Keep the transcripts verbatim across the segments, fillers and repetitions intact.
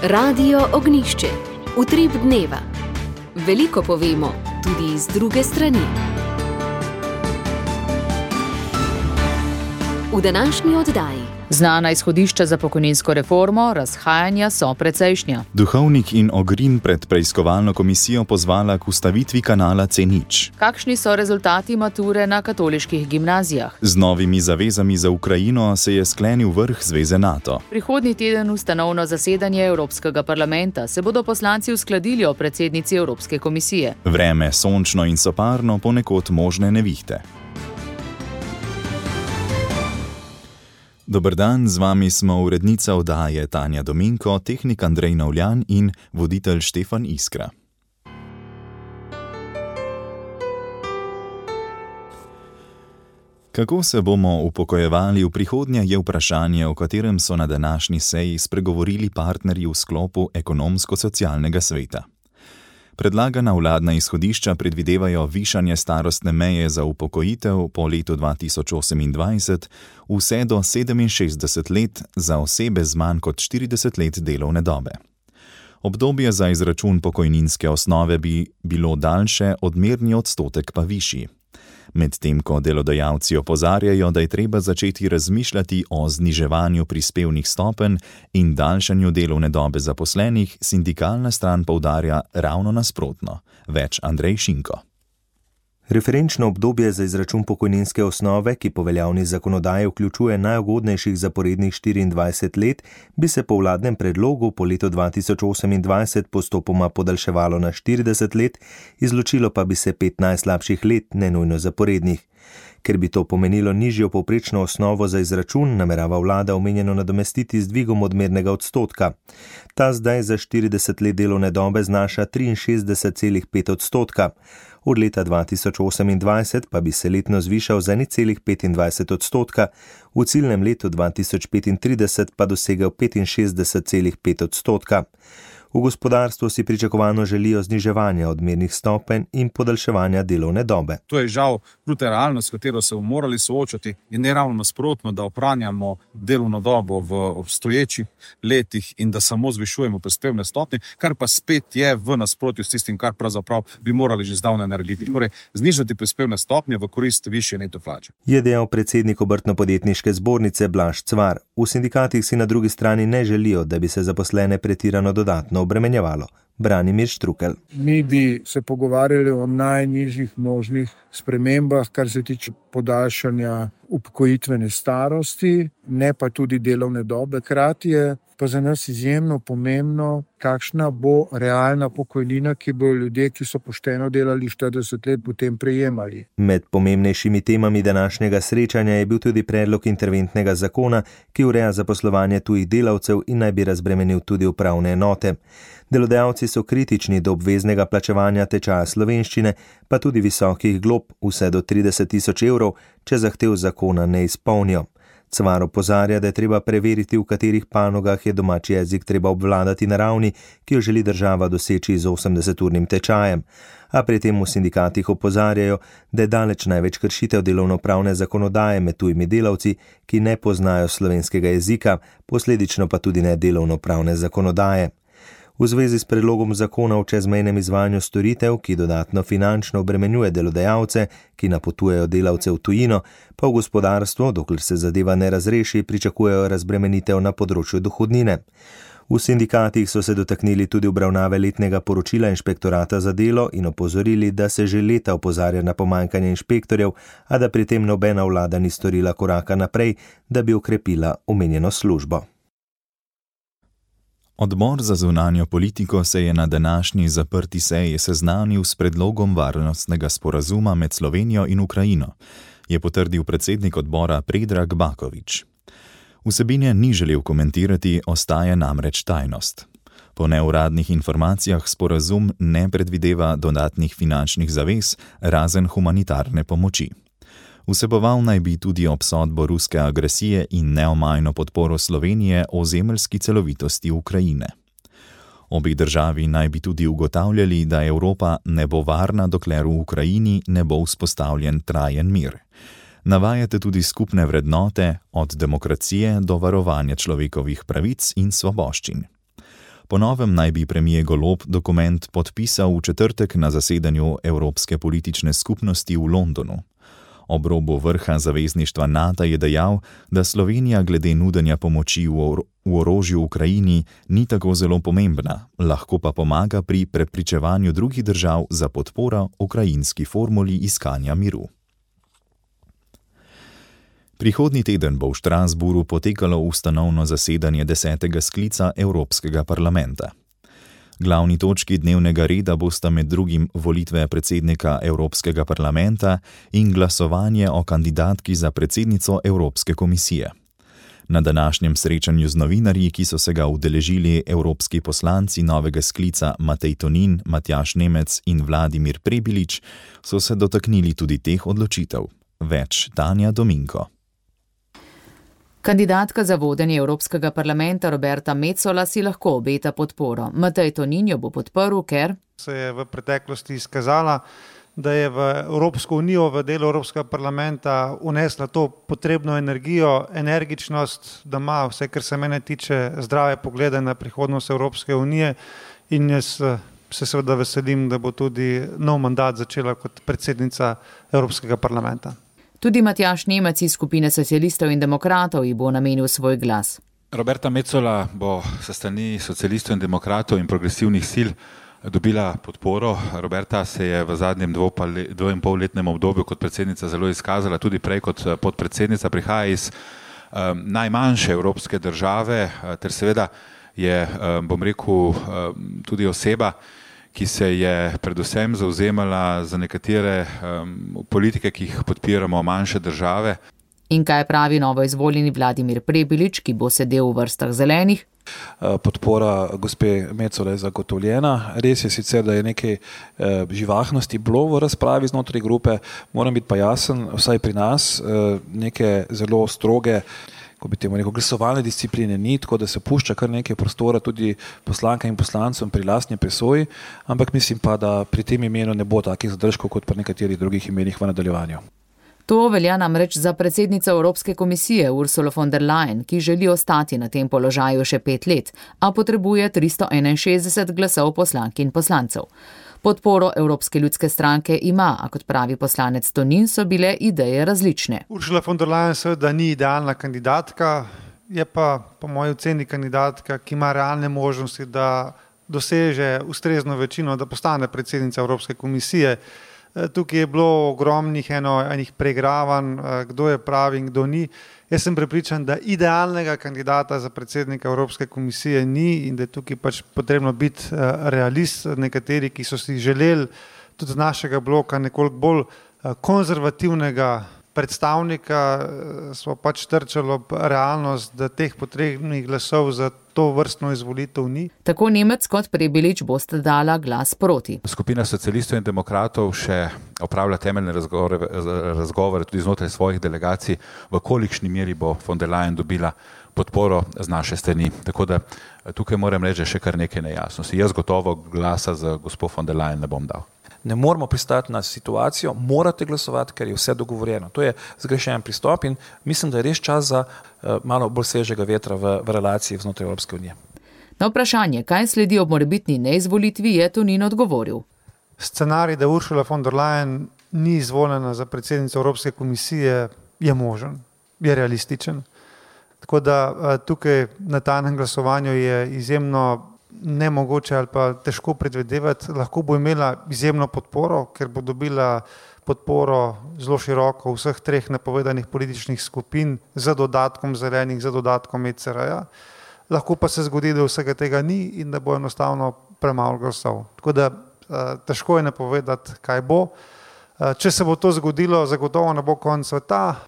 Radio Ognjišče. Utrip dneva. Veliko povemo, tudi z druge strani. V današnji oddaji. Znana izhodišča za pokojninsko reformo, razhajanja so precejšnja. Duhovnik in Ogrin pred preiskovalno komisijo pozvala k ustavitvi kanala C nič. Kakšni so rezultati mature na katoliških gimnazijah? Z novimi zavezami za Ukrajino se je sklenil vrh Zveze NATO. Prihodnji teden ustanovno zasedanje Evropskega parlamenta se bodo poslanci uskladili o predsednici Evropske komisije. Vreme sončno in soparno, ponekod možne nevihte. Dober dan, z vami smo urednica oddaje Tanja Dominko, tehnik Andrej Navljan in voditelj Štefan Iskra. Kako se bomo upokojevali v prihodnje, je vprašanje, o katerem so na današnji seji spregovorili partnerji v sklopu ekonomsko-socialnega sveta. Predlagana vladna izhodišča predvidevajo višanje starostne meje za upokojitev po letu dva tisoč osemindvajset vse do sedeminšestdeset let za osebe z manj kot štirideset let delovne dobe. Obdobje za izračun pokojninske osnove bi bilo daljše, odmerni odstotek pa višji. Medtem ko delodajalci opozarjajo, da je treba začeti razmišljati o zniževanju prispevnih stopenj in daljšanju delovne dobe zaposlenih, sindikalna stran poudarja ravno nasprotno. Več Andrej Šinko. Referenčno obdobje za izračun pokojninske osnove, ki po veljavni zakonodaji vključuje najugodnejših zaporednih štiriindvajset let, bi se po vladnem predlogu po letu dva tisoč osemindvajset postopoma podaljševalo na štirideset let, izločilo pa bi se pet najslabših let, ne nujno zaporednih. Ker bi to pomenilo nižjo povprečno osnovo za izračun, namerava vlada omenjeno nadomestiti z dvigom odmernega odstotka. Ta zdaj za štirideset let delovne dobe znaša triinšestdeset celih pet odstotka. Od leta dva tisoč osemindvajset pa bi se letno zvišal za nič celih petindvajset odstotka, v ciljnem letu dva tisoč petintrideset pa dosegel petinšestdeset celih pet odstotka. V gospodarstvu si pričakovano želijo zniževanja odmernih stopenj in podaljševanja delovne dobe. To je žal kruta realnost, s katero se bomo morali soočati, in ne ravno nasprotno, da ohranjamo delovno dobo v obstoječih letih in da samo zvišujemo prispevne stopnje, kar pa spet je v nasprotju s tistim, kar pravzaprav bi morali že zdavnaj narediti. Torej, znižati prispevne stopnje v korist višje neto plače. Je dejal predsednik Obrtno-podjetniške zbornice Blaž Cvar. V sindikatih si na drugi strani ne želijo, da bi se zaposlene pretirano dodatno obremenjevalo. Branimir Štrukelj. Mi bi se pogovarjali o najnižjih možnih spremembah, kar se tiče podaljšanja upokojitvene starosti, ne pa tudi delovne dobe. Hkrati je pa za nas izjemno pomembno, kakšna bo realna pokojnina, ki bojo ljudje, ki so pošteno delali štirideset let, potem prejemali. Med pomembnejšimi temami današnjega srečanja je bil tudi predlog interventnega zakona, ki ureja zaposlovanje tujih delavcev in naj bi razbremenil tudi upravne enote. Delodajalci so kritični do obveznega plačevanja tečaja slovenščine, pa tudi visokih glob, vse do trideset tisoč evrov, če zahtev zakona ne izpolnijo. Cvar opozarja, da je treba preveriti, v katerih panogah je domači jezik treba obvladati na ravni, ki jo želi država doseči z osemdeseturnim tečajem. A pri tem v sindikatih opozarjajo, da je daleč največ kršitev delovnopravne zakonodaje med tujimi delavci, ki ne poznajo slovenskega jezika, posledično pa tudi ne delovnopravne zakonodaje. V zvezi s predlogom zakona o čezmejnem izvajanju storitev, ki dodatno finančno obremenjuje delodajalce, ki napotujejo delavce v tujino, pa v gospodarstvu, dokler se zadeva ne razreši, pričakujejo razbremenitev na področju dohodnine. V sindikatih so se dotaknili tudi obravnave letnega poročila inšpektorata za delo in opozorili, da se že leta opozarja na pomanjkanje inšpektorjev, a da pri tem nobena vlada ni storila koraka naprej, da bi okrepila omenjeno službo. Odbor za zunanjo politiko se je na današnji zaprti seji seznanil s predlogom varnostnega sporazuma med Slovenijo in Ukrajino, je potrdil predsednik odbora Predrag Bakovič. Vsebine ni želel komentirati, ostaje namreč tajnost. Po neuradnih informacijah sporazum ne predvideva dodatnih finančnih zavez, razen humanitarne pomoči. Vseboval naj bi tudi obsodbo ruske agresije in neomajno podporo Slovenije ozemeljski celovitosti Ukrajine. Obi državi naj bi tudi ugotavljali, da Evropa ne bo varna, dokler v Ukrajini ne bo vzpostavljen trajen mir. Navajate tudi skupne vrednote, od demokracije do varovanja človekovih pravic in svoboščin. Po novem naj bi premijer Golob dokument podpisal v četrtek na zasedanju Evropske politične skupnosti v Londonu. Ob robu vrha zavezništva NATO je dejal, da Slovenija glede nudenja pomoči v, or v orožju Ukrajini ni tako zelo pomembna, lahko pa pomaga pri prepričevanju drugih držav za podporo ukrajinski formuli iskanja miru. Prihodnji teden bo v Strasbourgu potekalo ustanovno zasedanje desetega sklica Evropskega parlamenta. Glavni točki dnevnega reda bosta med drugim volitve predsednika Evropskega parlamenta in glasovanje o kandidatki za predsednico Evropske komisije. Na današnjem srečanju z novinarji, ki so se ga udeležili evropski poslanci novega sklica Matej Tonin, Matjaž Nemec in Vladimir Prebilič, so se dotaknili tudi teh odločitev. Več Tanja Dominko. Kandidatka za vodenje Evropskega parlamenta Roberta Metsola si lahko obeta podporo. Matej Tonin jo bo podprl, ker se je v preteklosti izkazala, da je v Evropsko unijo, v delu Evropskega parlamenta unesla to potrebno energijo, energičnost, da ima vse, kar se mene tiče, zdrave poglede na prihodnost Evropske unije, in jaz se seveda veselim, da bo tudi nov mandat začela kot predsednica Evropskega parlamenta. Tudi Matjaž Nemec iz skupine socialistov in demokratov ji bo namenil svoj glas. Roberta Metsola bo sa strani socialistov in demokratov in progresivnih sil dobila podporo. Roberta se je v zadnjem dvo in pol letnem obdobju kot predsednica zelo izkazala, tudi prej kot podpredsednica, prihaja iz um, najmanjše evropske države, ter seveda je, um, bom rekel, um, tudi oseba, ki se je predvsem zauzemala za nekatere um, politike, ki jih podpiramo manjše države. In kaj pravi novo izvoljeni Vladimir Prebilič, ki bo sedel v vrstah zelenih? Podpora gospe Metsole je zagotovljena. Res je sicer, da je nekaj eh, živahnosti bilo v razpravi znotraj grupe, moram biti pa jasen, vsaj pri nas eh, neke zelo stroge, ko bi temu rekel, glasovalne discipline ni, tako da se pušča kar nekaj prostora tudi poslankam in poslancem pri lastni presoji, ampak mislim pa, da pri tem imenu ne bo takih zadržkov kot pri nekaterih drugih imenih v nadaljevanju. To velja namreč za predsednico Evropske komisije Ursulo von der Leyen, ki želi ostati na tem položaju še pet let, a potrebuje tristo enainšestdeset glasov poslank in poslancev. Podporo Evropske ljudske stranke ima, a kot pravi poslanec Tonin, so bile ideje različne. Ursula von der Leyen seveda ni idealna kandidatka, je pa po moji oceni kandidatka, ki ima realne možnosti, da doseže ustrezno večino, da postane predsednica Evropske komisije. Tukaj je bilo ogromnih eno, enih preigravanj, kdo je pravi in kdo ni. Jaz sem prepričan, da idealnega kandidata za predsednika Evropske komisije ni in da je tukaj pač potrebno biti realist. Nekateri, ki so si želeli tudi z našega bloka nekoliko bolj konzervativnega predstavnika, smo pač trčali ob realnost, da teh potrebnih glasov za to vrstno izvolitev ni. Tako Nemec kot Prebilič bosta dala glas proti. Skupina socialistov in demokratov še opravlja temeljne razgovore, razgovore tudi znotraj svojih delegacij, v kolikšni meri bo von der Leyen dobila podporo z naše strani. Tako da tukaj moram reči še kar nekaj nejasnosti. Jaz gotovo glasa za gospod von der Leyen ne bom dal. Ne moramo pristati na situacijo, morate glasovati, ker je vse dogovorjeno. To je zgrešen pristop in mislim, da je res čas za uh, malo bolj svežega vetra v, v relaciji znotraj Evropske unije. Na vprašanje, kaj sledi ob morebitni neizvolitvi, je Tonin odgovoril. Scenarij, da Ursula von der Leyen ni izvoljena za predsednico Evropske komisije, je možen, je realističen. Tako da uh, tukaj na tajnem glasovanju je izjemno nemogoče ali pa težko predvidevati, lahko bo imela izjemno podporo, ker bo dobila podporo zelo široko vseh treh napovedanih političnih skupin z dodatkom zelenih, z dodatkom E C R-ja. Lahko pa se zgodi, da vsega tega ni in da bo enostavno premalo glasov. Tako da težko je napovedati, kaj bo. Če se bo to zgodilo, zagotovo ne bo konec sveta.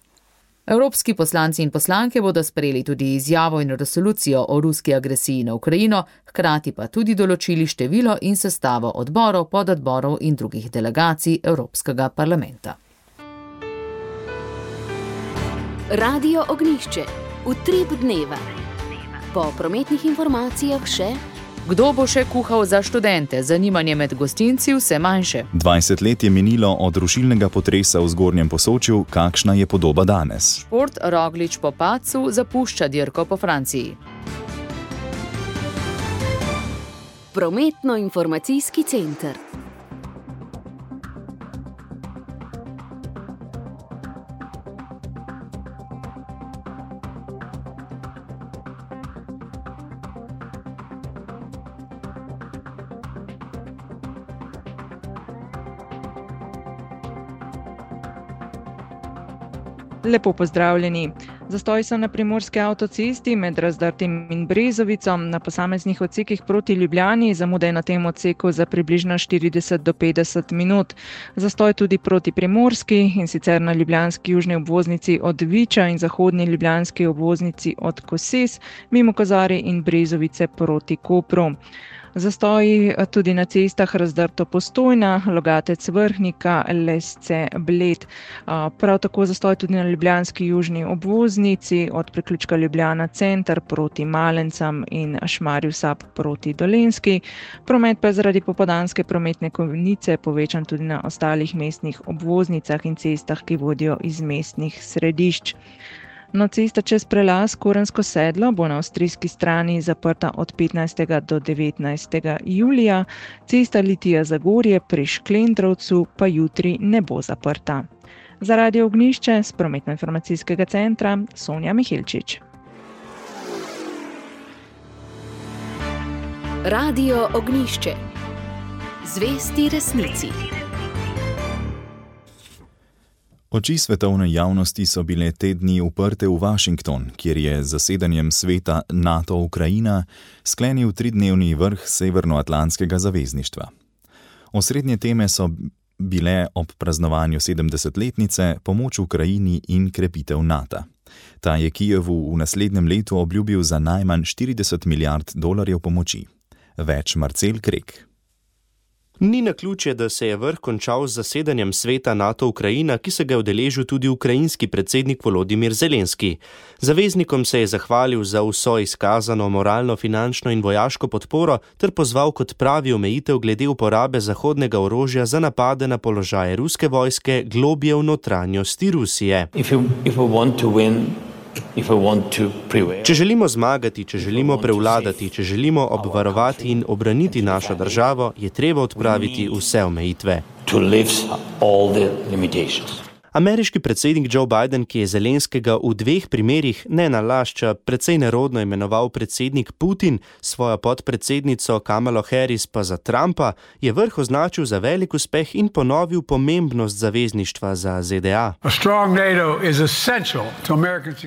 Evropski poslanci in poslanke bodo sprejeli tudi izjavo in resolucijo o ruski agresiji na Ukrajino, hkrati pa tudi določili število in sestavo odborov, pododborov in drugih delegacij Evropskega parlamenta. Radio Ognjišče. Utrip dneva. Po prometnih informacijah še... Kdo bo še kuhal za študente? Zanimanje med gostinci vse manjše. dvajset let je minilo od rušilnega potresa v Zgornjem Posočju, kakšna je podoba danes? Šport Roglič po padcu zapušča dirko po Franciji. Prometno-informacijski center. Lepo pozdravljeni. Zastoj so na primorski avtocesti med Razdrtim in Brezovicom na posameznih odsekih proti Ljubljani, zamude na tem odseku za približno štirideset do petdeset minut. Zastoj tudi proti Primorski, in sicer na ljubljanski južni obvoznici od Viča in zahodni ljubljanski obvoznici od Koses, mimo Kozarij in Brezovice proti Kopru. Zastoji tudi na cestah Razdrto-Postojna, Logatec-Vrhnika, Lesce-Bled. Prav tako zastoj tudi na ljubljanski južni obvoznici od priključka Ljubljana center proti Malencam in Šmarju Sap proti Dolenjski. Promet pa je zaradi popoldanske prometne konice povečan tudi na ostalih mestnih obvoznicah in cestah, ki vodijo iz mestnih središč. No, cesta čez prelaz Korensko sedlo bo na avstrijski strani zaprta od petnajstega do devetnajstega julija, cesta Litija-Zagorje pri Šklendrovcu pa jutri ne bo zaprta. Za Radio Ognjišče z Prometno-informacijskega centra Sonja Mihilčič. Radio Ognjišče. Zvesti resnici. Oči svetovne javnosti so bile te dni uprte v Washington, kjer je z zasedanjem sveta NATO-Ukrajina sklenil tridnevni vrh Severnoatlantskega zavezništva. Osrednje teme so bile ob praznovanju sedemdesetletnice pomoč Ukrajini in krepitev NATO. Ta je Kijevu v naslednjem letu obljubil za najmanj štirideset milijard dolarjev pomoči. Več Marcel Krek. Ni naključje, da se je vrh končal z zasedanjem sveta NATO-Ukrajina, ki se ga je udeležil tudi ukrajinski predsednik Volodimir Zelenski. Zaveznikom se je zahvalil za vso izkazano moralno, finančno in vojaško podporo ter pozval kot pravi omejitev glede uporabe zahodnega orožja za napade na položaje ruske vojske globje v notranjosti Rusije. If you, if you want to win, Če želimo zmagati, če želimo prevladati, če želimo obvarovati in obraniti našo državo, je treba odpraviti vse omejitve. Ameriški predsednik Joe Biden, ki je Zelenskega v dveh primerih ne nalašča precej nerodno imenoval predsednik Putin, svojo podpredsednico Kamalo Harris pa za Trumpa, je vrh označil za velik uspeh in ponovil pomembnost zavezništva za Z D A.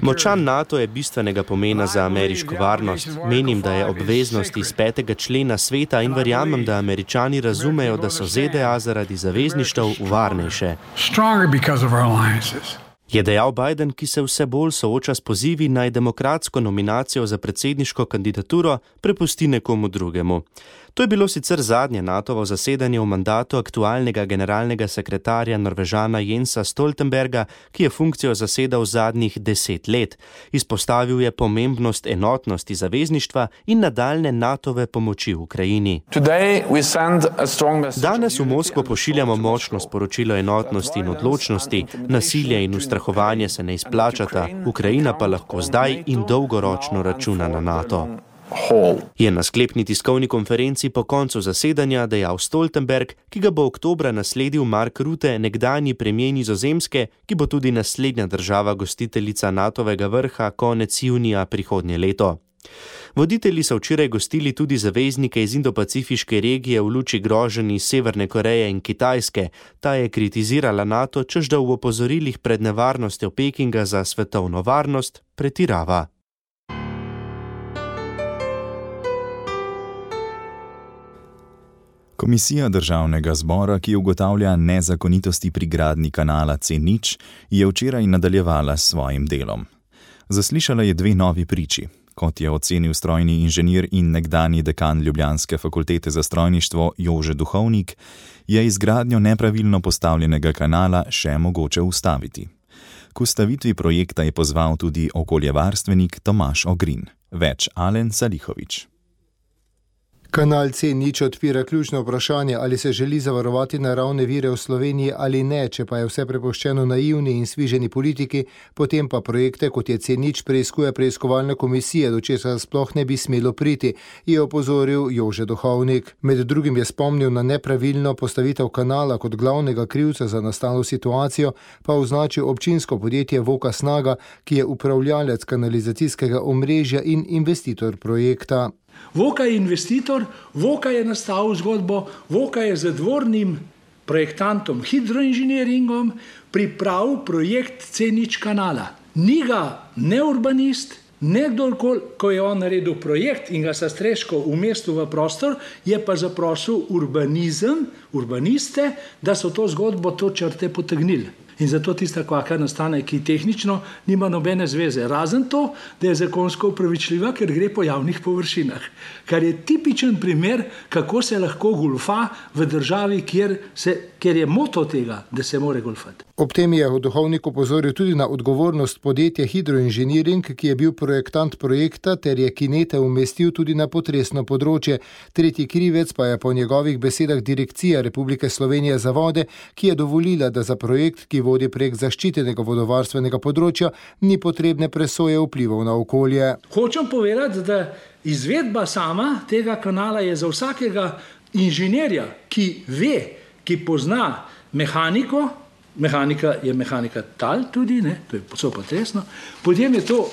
Močan NATO je bistvenega pomena za ameriško varnost. Menim, da je obveznost iz petega člena sveta in verjamem, da Američani razumejo, da so Z D A zaradi zavezništev varnejše. Je dejal Biden, ki se vse bolj sooča s pozivi naj demokratsko nominacijo za predsedniško kandidaturo prepusti nekomu drugemu. To je bilo sicer zadnje NATOvo zasedanje v mandatu aktualnega generalnega sekretarja Norvežana Jensa Stoltenberga, ki je funkcijo zasedal zadnjih deset let. Izpostavil je pomembnost enotnosti zavezništva in nadaljne NATOve pomoči v Ukrajini. Danes v Moskvo pošiljamo močno sporočilo enotnosti in odločnosti, nasilje in ustrahovanje se ne izplačata, Ukrajina pa lahko zdaj in dolgoročno računa na NATO. Je na sklepni tiskovni konferenci po koncu zasedanja dejal Stoltenberg, ki ga bo oktobra nasledil Mark Rutte, nekdanji premijer Nizozemske, ki bo tudi naslednja država gostiteljica NATOvega vrha konec junija prihodnje leto. Voditelji so včeraj gostili tudi zaveznike iz Indo-Pacifiške regije v luči groženj iz Severne Koreje in Kitajske. Ta je kritizirala NATO, češ da v opozorilih pred nevarnostjo Pekinga za svetovno varnost pretirava. Komisija Državnega zbora, ki ugotavlja nezakonitosti pri gradnji kanala C nič, je včeraj nadaljevala s svojim delom. Zaslišala je dve novi priči. Kot je ocenil strojni inženir in nekdanji dekan Ljubljanske fakultete za strojništvo Jože Duhovnik, je izgradnjo nepravilno postavljenega kanala še mogoče ustaviti. K ustavitvi projekta je pozval tudi okoljevarstvenik Tomaž Ogrin. Več Alen Salihovič. Kanal C nič odpira ključno vprašanje, ali se želi zavarovati naravne vire v Sloveniji ali ne, če pa je vse prepuščeno naivni in sviženi politiki, potem pa projekte, kot je C nič, preiskuje preiskovalna komisija, do česar sploh ne bi smelo priti, je opozoril Jože Duhovnik. Med drugim je spomnil na nepravilno postavitev kanala kot glavnega krivca za nastalo situacijo, pa označil občinsko podjetje Voka Snaga, ki je upravljalec kanalizacijskega omrežja in investitor projekta. Voka je investitor, Voka je nastavil zgodbo, Voka je z dvornim projektantom hidroinženiringom pripravil projekt C nič kanala. Ni ga ne urbanist, ne kdorkoli, ko je on naredil projekt in ga sa streško umestil v prostor, je pa zaprosil urbanizem, urbaniste, da so to zgodbo, to črte potegnili. In zato tista kvaka nastane, ki tehnično nima nobene zveze. Razen to, da je zakonsko upravičljiva, ker gre po javnih površinah. Kar je tipičen primer, kako se lahko golfa v državi, kjer, se, kjer je moto tega, da se more golfati. Ob tem je Duhovnik opozoril tudi na odgovornost podjetja Hidroinženiring, ki je bil projektant projekta ter je kinete umestil tudi na potresno področje. Tretji krivec pa je po njegovih besedah Direkcija Republike Slovenije za vode, ki je dovolila, da za projekt, ki vodi prek zaščitenega vodovarstvenega področja, ni potrebne presoje vplivov na okolje. Hočem povedati, da izvedba sama tega kanala je za vsakega inženirja, ki ve, ki pozna mehaniko, mehanika je mehanika tal tudi, ne, to je so potresno, potem je to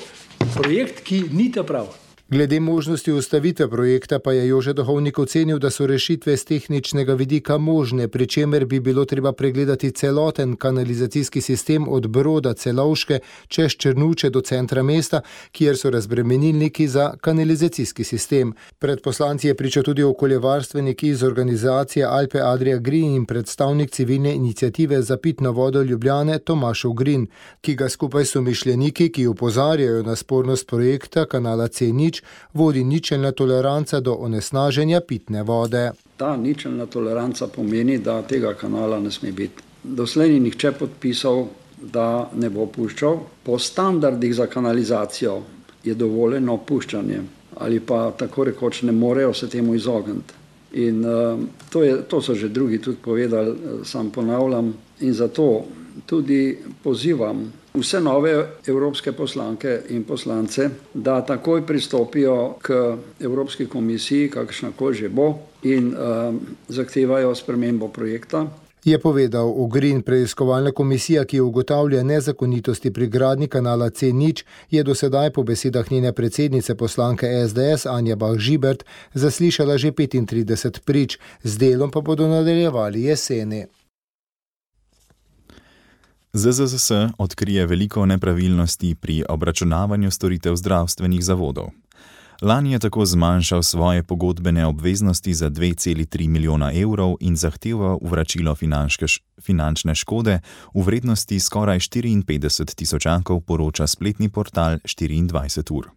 projekt, ki ni ta prav. Glede možnosti ustavitve projekta pa je Jože Duhovnik ocenil, da so rešitve z tehničnega vidika možne, pri čemer bi bilo treba pregledati celoten kanalizacijski sistem od Broda Celovške čez Črnuče do centra mesta, kjer so razbremenilniki za kanalizacijski sistem. Pred poslanci je pričal tudi okoljevarstvenik iz organizacije Alpe Adria Green in predstavnik civilne iniciative za pitno vodo Ljubljane Tomaš Ugrin, ki ga skupaj so mišljeniki, ki opozarjajo na spornost projekta kanala C nič, vodi ničelna toleranca do onesnaženja pitne vode. Ta ničelna toleranca pomeni, da tega kanala ne sme biti. Doslej ni nihče podpisal, da ne bo puščal. Po standardih za kanalizacijo je dovoljeno puščanje ali pa tako rekoč ne morejo se temu izogniti. In uh, to, je, to so že drugi tudi povedali, sam ponavljam, in zato tudi pozivam vse nove evropske poslanke in poslance, da takoj pristopijo k Evropski komisiji, kakšnakoli že bo, in uh, zahtevajo spremembo projekta. Je povedal Ugrin. Preiskovalna komisija, ki ugotavlja nezakonitosti pri gradnji kanala C nič, je do sedaj po besedah njene predsednice poslanke S D S Anja Bah Žibert zaslišala že petintrideset prič, z delom pa bodo nadaljevali jeseni. Z Z Z S odkrije veliko nepravilnosti pri obračunavanju storitev zdravstvenih zavodov. Lani je tako zmanjšal svoje pogodbene obveznosti za dve celi tri milijona evrov in zahteval vračilo finančne škode v vrednosti skoraj štiriinpetdeset tisočakov, poroča spletni portal štiriindvajset ur.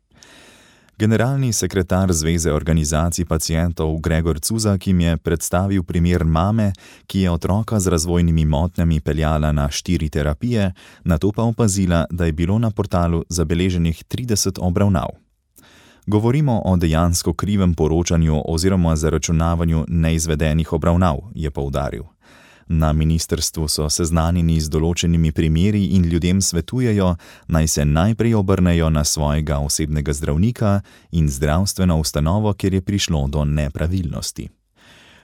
Generalni sekretar Zveze organizacij pacientov Gregor Cuzak jim je predstavil primer mame, ki je otroka z razvojnimi motnjami peljala na štiri terapije, nato pa opazila, da je bilo na portalu zabeleženih trideset obravnav. Govorimo o dejansko krivem poročanju oziroma zaračunavanju neizvedenih obravnav, je poudaril. Na ministrstvu so seznanjeni z določenimi primeri in ljudem svetujejo, naj se najprej obrnejo na svojega osebnega zdravnika in zdravstveno ustanovo, kjer je prišlo do nepravilnosti.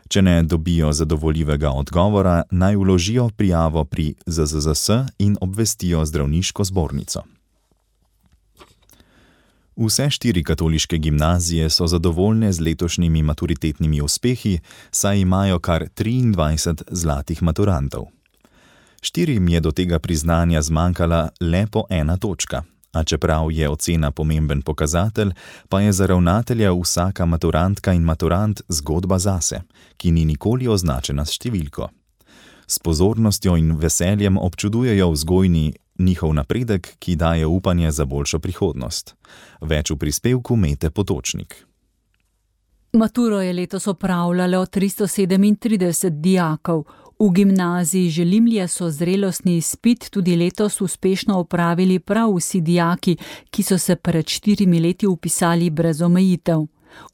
Če ne dobijo zadovoljivega odgovora, naj vložijo prijavo pri Z Z Z S in obvestijo zdravniško zbornico. Vse štiri katoliške gimnazije so zadovoljne z letošnjimi maturitetnimi uspehi, saj imajo kar triindvajset zlatih maturantov. Štirim je do tega priznanja zmanjkala le po ena točka, a čeprav je ocena pomemben pokazatelj, pa je za ravnatelja vsaka maturantka in maturant zgodba zase, ki ni nikoli označena s številko. S pozornostjo in veseljem občudujejo vzgojni njihov napredek, ki daje upanje za boljšo prihodnost. Več v prispevku Mete Potočnik. Maturo je letos opravljalo tristo sedemintrideset dijakov. V gimnaziji Želimlje so zrelostni izpit tudi letos uspešno opravili prav vsi dijaki, ki so se pred štirimi leti vpisali brez omejitev.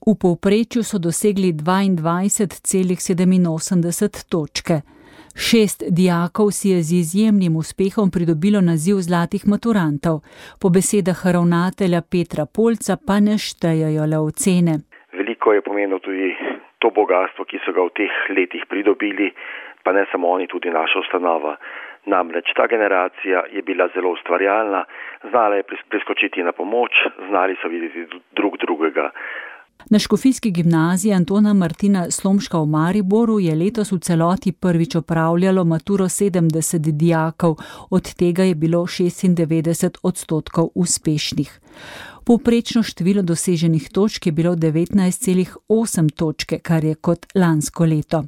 V povprečju so dosegli dvaindvajset celih sedeminosemdeset točke. Šest dijakov si je z izjemnim uspehom pridobilo naziv zlatih maturantov. Po besedah ravnatelja Petra Polca pa ne štejejo le ocene. Veliko je pomenilo tudi to bogatstvo, ki so ga v teh letih pridobili, pa ne samo oni, tudi naša ustanova. Namreč ta generacija je bila zelo ustvarjalna, znala je priskočiti na pomoč, znali so videti drug drugega. Na Škofijski gimnaziji Antona Martina Slomška v Mariboru je letos v celoti prvič opravljalo maturo sedemdeset dijakov, od tega je bilo šestindevetdeset odstotkov uspešnih. Povprečno število doseženih točk je bilo devetnajst celih osem točke, kar je kot lansko leto.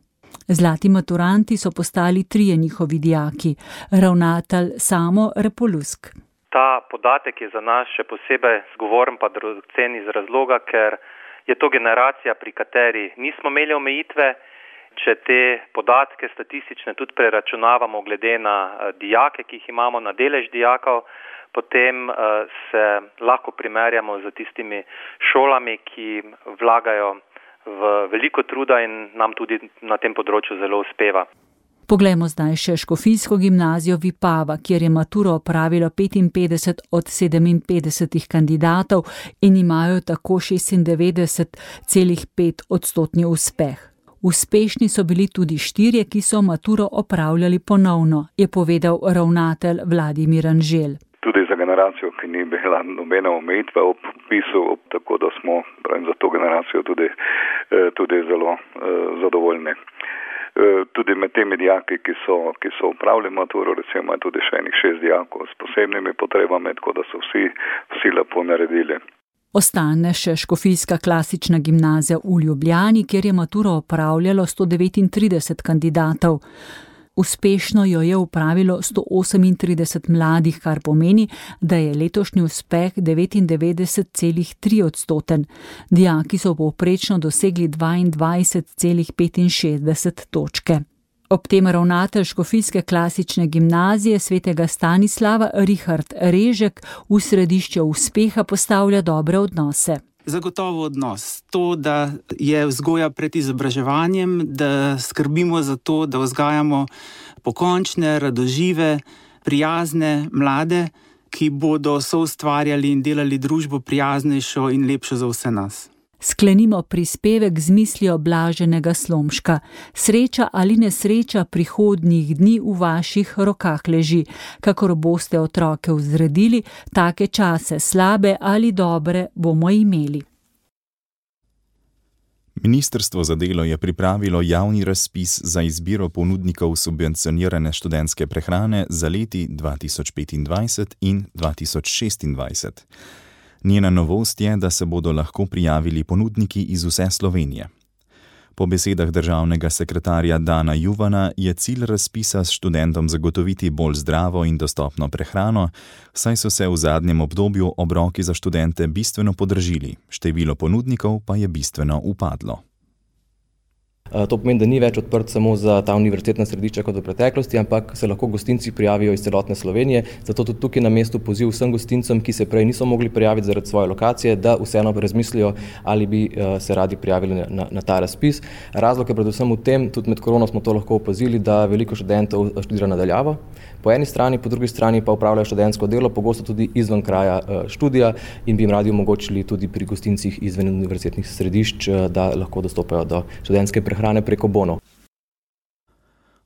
Zlati maturanti so postali trije njihovi dijaki, ravnatelj Samo Repolusk. Ta podatek je za nas še posebej zgovoren pa dragocen iz razloga, ker je to generacija, pri kateri nismo imeli omejitve. Če te podatke statistične tudi preračunavamo glede na dijake, ki jih imamo, na delež dijakov, potem se lahko primerjamo z tistimi šolami, ki vlagajo v veliko truda in nam tudi na tem področju zelo uspeva. Poglejmo zdaj še Škofijsko gimnazijo Vipava, kjer je maturo opravilo petinpetdeset od sedeminpetdesetih kandidatov in imajo tako šestindevetdeset celih pet odstotni uspeh. Uspešni so bili tudi štirje, ki so maturo opravljali ponovno, je povedal ravnatelj Vladimir Anžel. Tudi za generacijo, ki ni bila nobena omejitva ob vpisu, tako da smo pravim, za to generacijo tudi, tudi zelo zadovoljni. Tudi med temi dijaki, ki so, ki so upravili maturo, recimo je tudi še enih šest dijakov s posebnimi potrebami, tako da so vsi, vsi lepo naredili. Ostane še Škofijska klasična gimnazija v Ljubljani, kjer je maturo opravljalo sto devetintrideset kandidatov. Uspešno jo je upravilo sto osemintrideset mladih, kar pomeni, da je letošnji uspeh devetindevetdeset celih tri odstoten. Dijaki so povprečno dosegli dvaindvajset celih petinšestdeset točke. Ob tem ravnatelj Škofijske klasične gimnazije svetega Stanislava Richard Režek v središče uspeha postavlja dobre odnose. Zagotovo odnos. To, da je vzgoja pred izobraževanjem, da skrbimo za to, da vzgajamo pokončne, radožive, prijazne mlade, ki bodo soustvarjali in delali družbo prijaznejšo in lepšo za vse nas. Sklenimo prispevek z mislijo Blaženega Slomška. Sreča ali nesreča prihodnjih dni v vaših rokah leži. Kakor boste otroke vzredili, take čase, slabe ali dobre, bomo imeli. Ministrstvo za delo je pripravilo javni razpis za izbiro ponudnikov subvencionirane študentske prehrane za leti dva tisoč petindvajset in dva tisoč šestindvajset. Njena novost je, da se bodo lahko prijavili ponudniki iz vse Slovenije. Po besedah državnega sekretarja Dana Juvana je cilj razpisa s študentom zagotoviti bolj zdravo in dostopno prehrano, saj so se v zadnjem obdobju obroki za študente bistveno podražili, število ponudnikov pa je bistveno upadlo. To pomeni, da ni več odprt samo za ta univerzitetna središča kot v preteklosti, ampak se lahko gostinci prijavijo iz celotne Slovenije. Zato tudi tukaj na mestu poziv vsem gostincem, ki se prej niso mogli prijaviti zaradi svoje lokacije, da vseeno razmislijo, ali bi se radi prijavili na, na ta razpis. Razlog je predvsem v tem, tudi med korono smo to lahko opazili, da veliko študentov študira nadaljavo. Po eni strani, po drugi strani pa upravljajo študentsko delo, pogosto tudi izven kraja študija in bi jim radi omogočili tudi pri gostincih izven univerzitetnih središč, da lahko dostopajo do študentske prehrane preko bonov.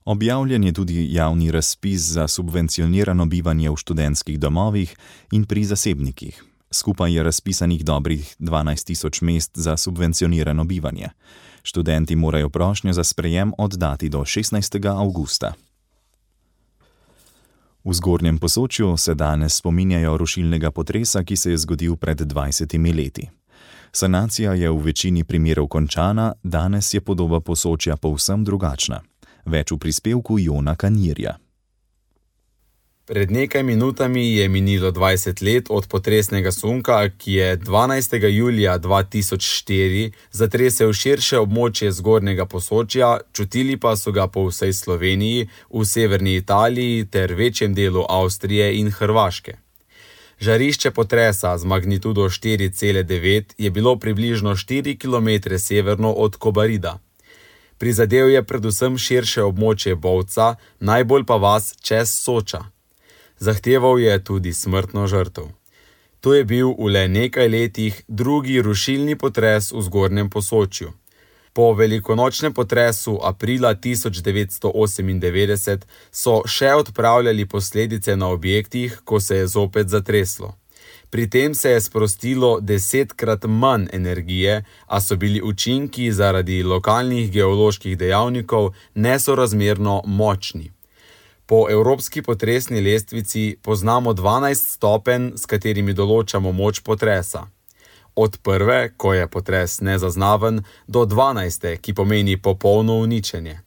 Objavljen je tudi javni razpis za subvencionirano bivanje v študentskih domovih in pri zasebnikih. Skupaj je razpisanih dobrih dvanajst tisoč mest za subvencionirano bivanje. Študenti morajo prošnjo za sprejem oddati do šestnajstega avgusta. V Zgornjem Posočju se danes spominjajo rušilnega potresa, ki se je zgodil pred dvajsetimi leti. Sanacija je v večini primerov končana, danes je podoba Posočja povsem drugačna. Več v prispevku Jona Kanirja. Pred nekaj minutami je minilo dvajset let od potresnega sunka, ki je dvanajstega julija dva tisoč štiri zatresel širše območje Zgornjega Posočja, čutili pa so ga po vsej Sloveniji, v severni Italiji ter večjem delu Avstrije in Hrvaške. Žarišče potresa z magnitudo štiri cele devet je bilo približno štiri kilometre severno od Kobarida. Prizadel je predvsem širše območje Bovca, najbolj pa vas čez Soča. Zahteval je tudi smrtno žrtev. To je bil v le nekaj letih drugi rušilni potres v Zgornjem Posočju. Po velikonočnem potresu aprila tisoč devetsto osemindevetdeset so še odpravljali posledice na objektih, ko se je zopet zatreslo. Pri tem se je sprostilo desetkrat manj energije, a so bili učinki zaradi lokalnih geoloških dejavnikov nesorazmerno močni. Po evropski potresni lestvici poznamo dvanajst stopenj, s katerimi določamo moč potresa. Od prve, ko je potres nezaznaven, do dvanajste, ki pomeni popolno uničenje.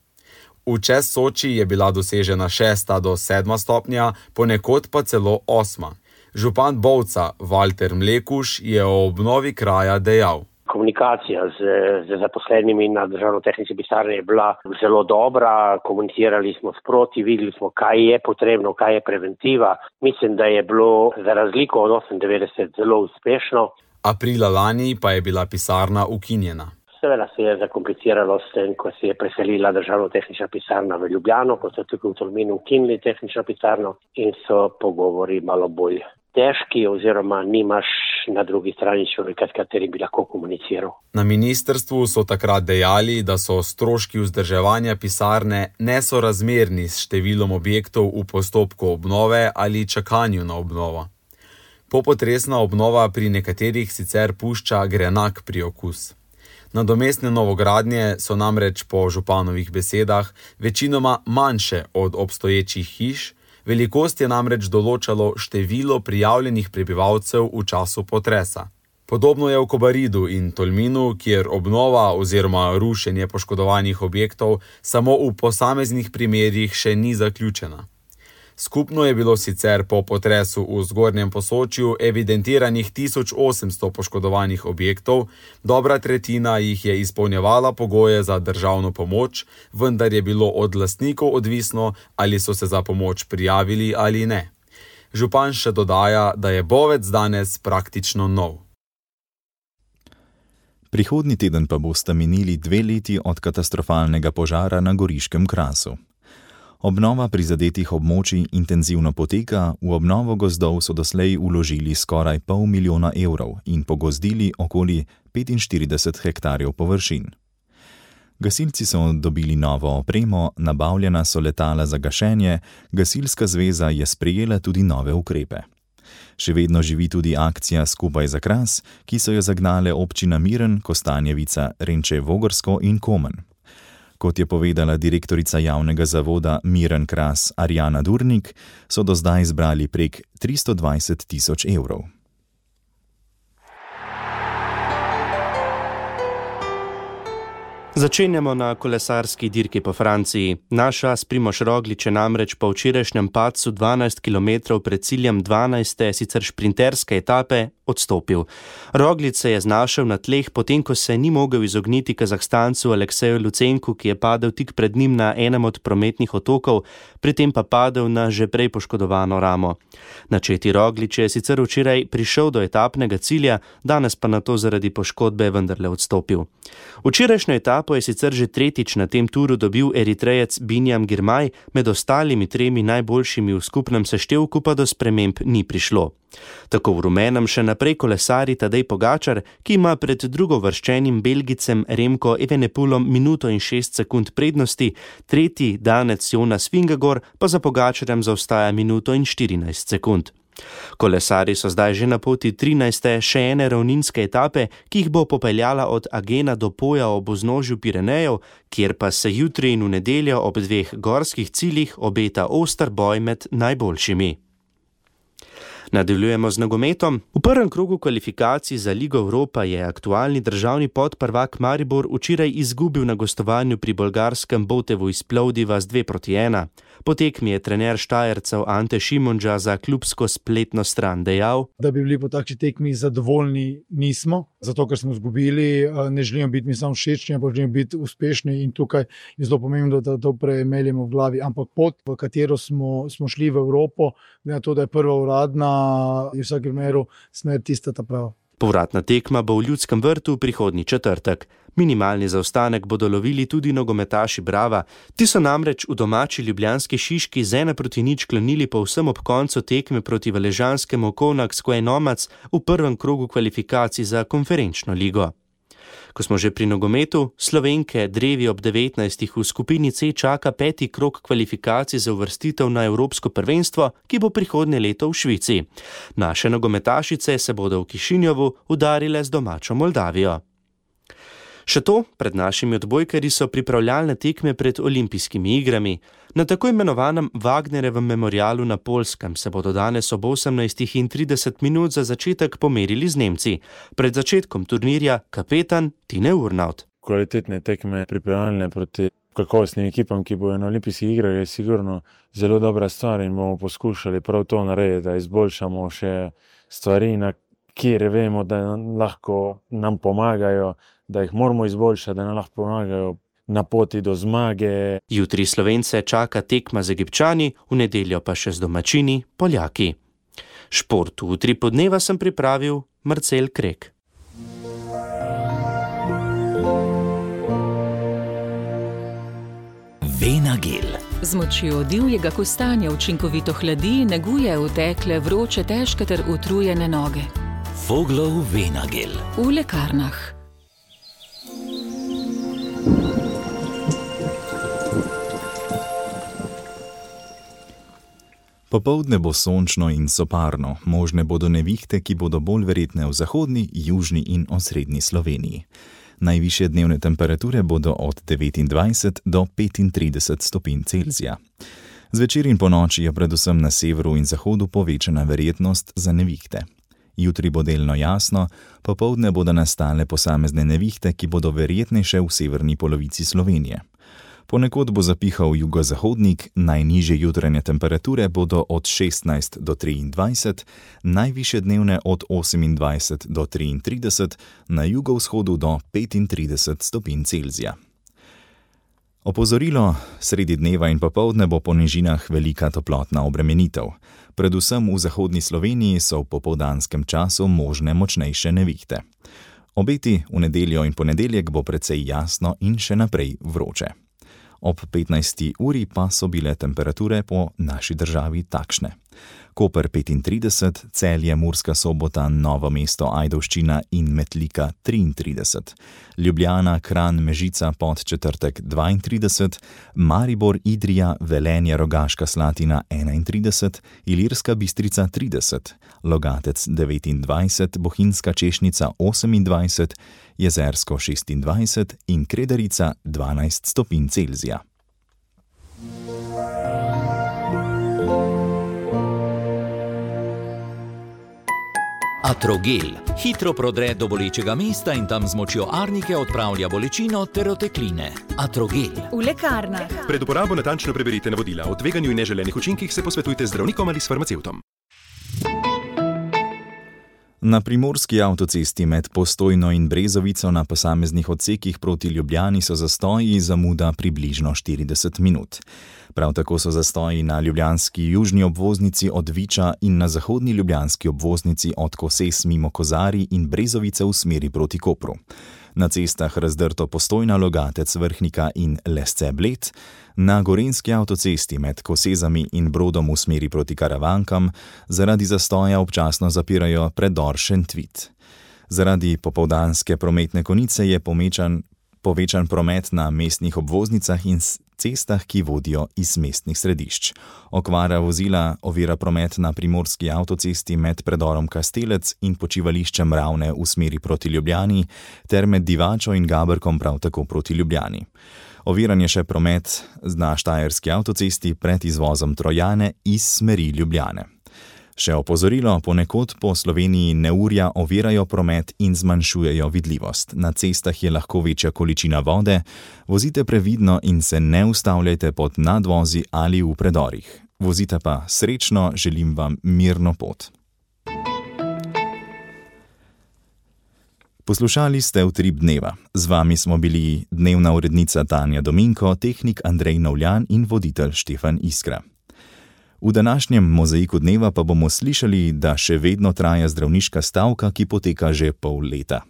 V čez Soči je bila dosežena šesta do sedma stopnja, ponekod pa celo osma. Župan Bovca Valter Mlekuš je o obnovi kraja dejal. Komunikacija z, z zaposlenimi na državno-tehnični pisarni je bila zelo dobra, komunicirali smo sproti, videli smo, kaj je potrebno, kaj je preventiva. Mislim, da je bilo za razliko od osemindevetdeset zelo uspešno. Aprila lani pa je bila pisarna ukinjena. Seveda se je zakompliciralo s tem, ko se je preselila državno-tehnična pisarna v Ljubljano, ko so tukaj v Tolminu ukinili tehnično pisarno in so pogovori malo bolj težki oziroma nimaš na drugi strani človeka, s katerim bi lahko komuniciral. Na ministrstvu so takrat dejali, da so stroški vzdrževanja pisarne nesorazmerni s številom objektov v postopku obnove ali čakanju na obnovo. Popotresna obnova pri nekaterih sicer pušča grenak priokus. Nadomestne novogradnje so namreč po županovih besedah večinoma manjše od obstoječih hiš, velikost je namreč določalo število prijavljenih prebivalcev v času potresa. Podobno je v Kobaridu in Tolminu, kjer obnova oziroma rušenje poškodovanih objektov samo v posameznih primerjih še ni zaključena. Skupno je bilo sicer po potresu v Zgornjem Posočju evidentiranih tisoč osemsto poškodovanih objektov, dobra tretjina jih je izpolnjevala pogoje za državno pomoč, vendar je bilo od lastnikov odvisno, ali so se za pomoč prijavili ali ne. Župan še dodaja, da je Bovec danes praktično nov. Prihodnji teden pa bosta minili dve leti od katastrofalnega požara na Goriškem Krasu. Obnova prizadetih območij intenzivno poteka, v obnovo gozdov so doslej vložili skoraj pol milijona evrov in pogozdili okoli petinštirideset hektarjev površin. Gasilci so dobili novo opremo, nabavljena so letala za gašenje, Gasilska zveza je sprejela tudi nove ukrepe. Še vedno živi tudi akcija Skupaj za Kras, ki so jo zagnale občina Miren, Kostanjevica, Renče Vogrsko in Komen. Kot je povedala direktorica javnega zavoda Miren Kras Arjana Durnik, so do zdaj zbrali prek tristo dvajset tisoč evrov. Začenjamo na kolesarski dirki po Franciji. Naš as Primož Roglič je namreč po včerajšnjem padcu dvanajst kilometrov pred ciljem dvanajste, sicer šprinterske etape, odstopil. Roglič se je znašel na tleh, potem ko se ni mogel izogniti Kazahstancu Alekseju Lucenku, ki je padel tik pred njim na enem od prometnih otokov, pri tem pa padel na že prej poškodovano ramo. Načeti Roglič je sicer včeraj prišel do etapnega cilja, danes pa nato zaradi poškodbe vendarle odstopil. Včerajšnjo etapo je sicer že tretjič na tem turu dobil Eritrejec Binjam Girmay, med ostalimi tremi najboljšimi v skupnem seštevku pa do sprememb ni prišlo. Tako v rumenem še naprej kolesari Tadej Pogačar, ki ima pred drugovrščenim Belgicem Remko Evenepoelom minuto in šest sekund prednosti, tretji danec Jonas Vingegaard pa za Pogačarjem zaostaja minuto in štirinajst sekund. Kolesari so zdaj že na poti trinajste še ene ravninske etape, ki jih bo popeljala od Agena do Poja ob vznožju Pirenejev, kjer pa se jutri in v nedeljo ob dveh gorskih ciljih obeta oster boj med najboljšimi. Nadaljujemo z nogometom. V prvem krogu kvalifikacij za Ligo Evropa je aktualni državni podprvak Maribor včeraj izgubil na gostovanju pri bolgarskem Botevu iz Plovdiva z dve proti ena. Po tekmi je trener Štajercev Ante Šimundža za klubsko spletno stran dejal, da bi bili po takšni tekmi zadovoljni nismo, zato ker smo izgubili, ne želimo biti mi samo všečni, ampak želimo biti uspešni in tukaj je zelo pomembno, da to premeljemo v glavi. Ampak pot, v katero smo, smo šli v Evropo, glede na to, da je prva uradna je v vsakem primeru smer tista ta prava. Povratna tekma bo v Ljudskem vrtu prihodnji četrtek. Minimalni zaostanek bodo lovili tudi nogometaši Brava. Ti so namreč v domači ljubljanski Šiški z ena proti nič klonili povsem ob koncu tekme proti valežanskemu Kovnak Square Nomads v prvem krogu kvalifikacij za konferenčno ligo. Ko smo že pri nogometu, Slovenke drevi ob devetnajstih v skupini C čaka peti krog kvalifikacij za uvrstitev na Evropsko prvenstvo, ki bo prihodnje leto v Švici. Naše nogometašice se bodo v Kišinjovu udarile z domačo Moldavijo. Še to, pred našimi odbojkarji so pripravljalne tekme pred olimpijskimi igrami. Na tako imenovanem Wagnerjevem memorialu na Poljskem se bodo danes ob osemnajstih in trideset minut za začetek pomerili z Nemci. Pred začetkom turnirja kapetan Tine Urnaut. Kvalitetne tekme pripravljalne proti kakovostnim ekipam, ki bojo na olimpijskih igrah, je sigurno zelo dobra stvar in bomo poskušali prav to narediti, da izboljšamo še stvari, na kjer vemo, da lahko nam pomagajo, da jih moramo izboljšati, da nam lahko pomagajo na poti do zmage. Jutri Slovence čaka tekma z Egipčani, v nedeljo pa še z domačini Poljaki. Šport v Utri podneva sem pripravil Marcel Krek. Venagel. Z močjo divjega kostanja učinkovito hladi, neguje utekle, vroče, težke ter utrujene noge. Voglov Venagel. V lekarnah. Popoldne bo sončno in soparno, možne bodo nevihte, ki bodo bolj verjetne v zahodni, južni in osrednji Sloveniji. Najvišje dnevne temperature bodo od devetindvajset do petintrideset stopinj Celzija. Zvečer in ponoči je predvsem na severu in zahodu povečana verjetnost za nevihte. Jutri bo delno jasno, popoldne bodo nastale posamezne nevihte, ki bodo verjetnejše v severni polovici Slovenije. Ponekod bo zapihal jugozahodnik, najnižje jutranje temperature bodo od šestnajst do triindvajset, najvišje dnevne od osemindvajset do triintrideset, na jugovzhodu do petintrideset stopinj Celzija. Opozorilo, sredi dneva in popoldne bo po nižinah velika toplotna obremenitev. Predvsem v zahodni Sloveniji so v popoldanskem času možne močnejše nevihte. Obeti v nedeljo in ponedeljek bo precej jasno in še naprej vroče. Ob petnajsti uri pa so bile temperature po naši državi takšne. Koper petintrideset, Celje, Murska Sobota, Novo mesto, Ajdovščina in Metlika triintrideset, Ljubljana, Kranj, Mežica, Podčetrtek dvaintrideset, Maribor, Idrija, Velenje, Rogaška Slatina enaintrideset, Ilirska Bistrica trideset, Logatec devetindvajset, Bohinjska Češnica osemindvajset, Jezersko šestindvajset in Kredarica dvanajst stopinj Celzija. Atrogel. Hitro prodre do bolečega mesta in tam z močjo arnike odpravlja bolečino ter otekline. Atrogel. V lekarnah. Pred uporabo natančno preberite navodila. O tveganju in neželenih učinkih se posvetujte z zdravnikom ali s farmacevtom. Na primorski avtocesti med Postojno in Brezovico na posameznih odsekih proti Ljubljani so zastoji zamuda približno štirideset minut. Prav tako so zastoji na ljubljanski južni obvoznici od Viča in na zahodni ljubljanski obvoznici od Koses mimo Kozarij in Brezovice v smeri proti Kopru. Na cestah razdrto Postojna, Logatec, Vrhnika in Lesce Bled, na gorenjski avtocesti med Kosezami in Brodom v smeri proti Karavankam zaradi zastoja občasno zapirajo predor Šentvit. Zaradi popoldanske prometne konice je pomečan, povečan promet na mestnih obvoznicah in cestah, ki vodijo iz mestnih središč. Okvara vozila ovira promet na primorski avtocesti med predorom Kastelec in počivališčem Ravne v smeri proti Ljubljani ter med Divačo in Gaberkom prav tako proti Ljubljani. Oviran je še promet na štajerski avtocesti pred izvozom Trojane iz smeri Ljubljane. Še opozorilo, ponekod po Sloveniji neurja ovirajo promet in zmanjšujejo vidljivost. Na cestah je lahko večja količina vode, vozite previdno in se ne ustavljajte pod nadvozi ali v predorih. Vozite pa srečno, želim vam mirno pot. Poslušali ste Utrip dneva. Z vami smo bili dnevna urednica Tanja Dominko, tehnik Andrej Novljan in voditelj Štefan Iskra. V današnjem mozaiku dneva pa bomo slišali, da še vedno traja zdravniška stavka, ki poteka že pol leta.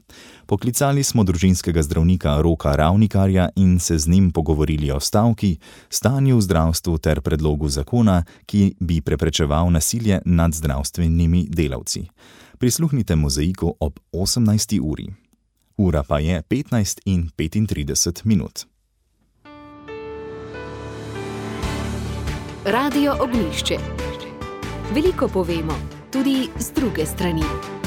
Poklicali smo družinskega zdravnika Roka Ravnikarja in se z njim pogovorili o stavki, stanju v zdravstvu ter predlogu zakona, ki bi preprečeval nasilje nad zdravstvenimi delavci. Prisluhnite mozaiku ob osemnajsti uri. Ura pa je petnajst in petintrideset minut. Radio Ognjišče. Veliko povemo, tudi z druge strani.